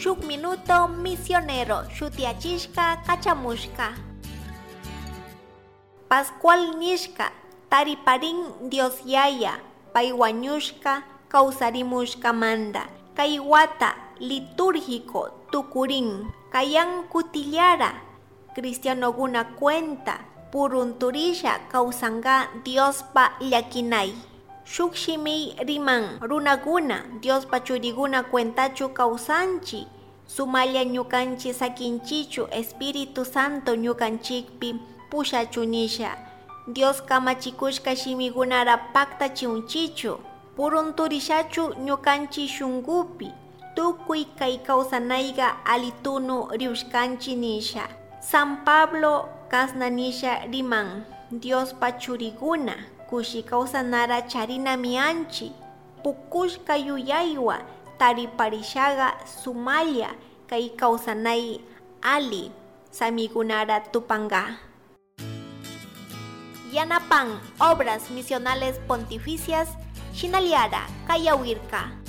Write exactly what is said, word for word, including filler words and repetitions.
Shuk minuto misionero shutiyachishka kachamushka. Pascual nishka tariparin Dios Yaya, pay wañushka, kawsarimushkamanta. Kay wata litúrgico tukurin, kayan kutillara cristianoguna cuenta purunturisha kawsanka Diospa llakinay. Shuk shimiy riman runakuna Diospa churikuna cuentachu kawsanchi, sumalla ñukanchi sakinchichu Espíritu Santo ñukanchikpi pushachu nisha. Dios kamachikushka shimikunara paktachiunchichu, purunturishachu ñukanchi shunkupi tukuy kay kawsanayka alitunu riushkanchi nisha. San Pablo kasna nisha riman: Diospa churikuna kushi kawsanara charinami anchi, pukushka yuyaywa tariparishaga sumalla kay kawsanay ali samikunara tupanga. Yanapan Obras Misionales Pontificias shinallara kayawirka.